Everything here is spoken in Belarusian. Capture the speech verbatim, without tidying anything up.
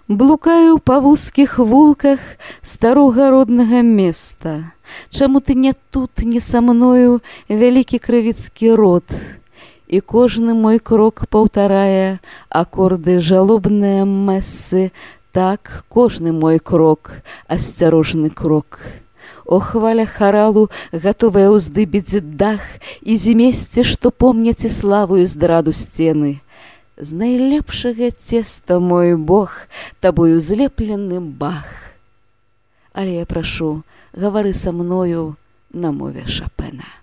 Блукаю па вузкіх вулках старога роднага места. Чаму ты не тут, не са мною, вялікі крывіцкі род? І кожны мой крок паўтарае акорды жалобныя мэсы. Так, кожны мой крок, асцярожны крок. О, хваля харалу, гатовая ўздыбіць дах, і зімесце, што помняць і славу і здраду сцены. З найлепшага цеста, мой Бог, табою злеплены бах. Але я прашу, гавары са мною на мове Шапена.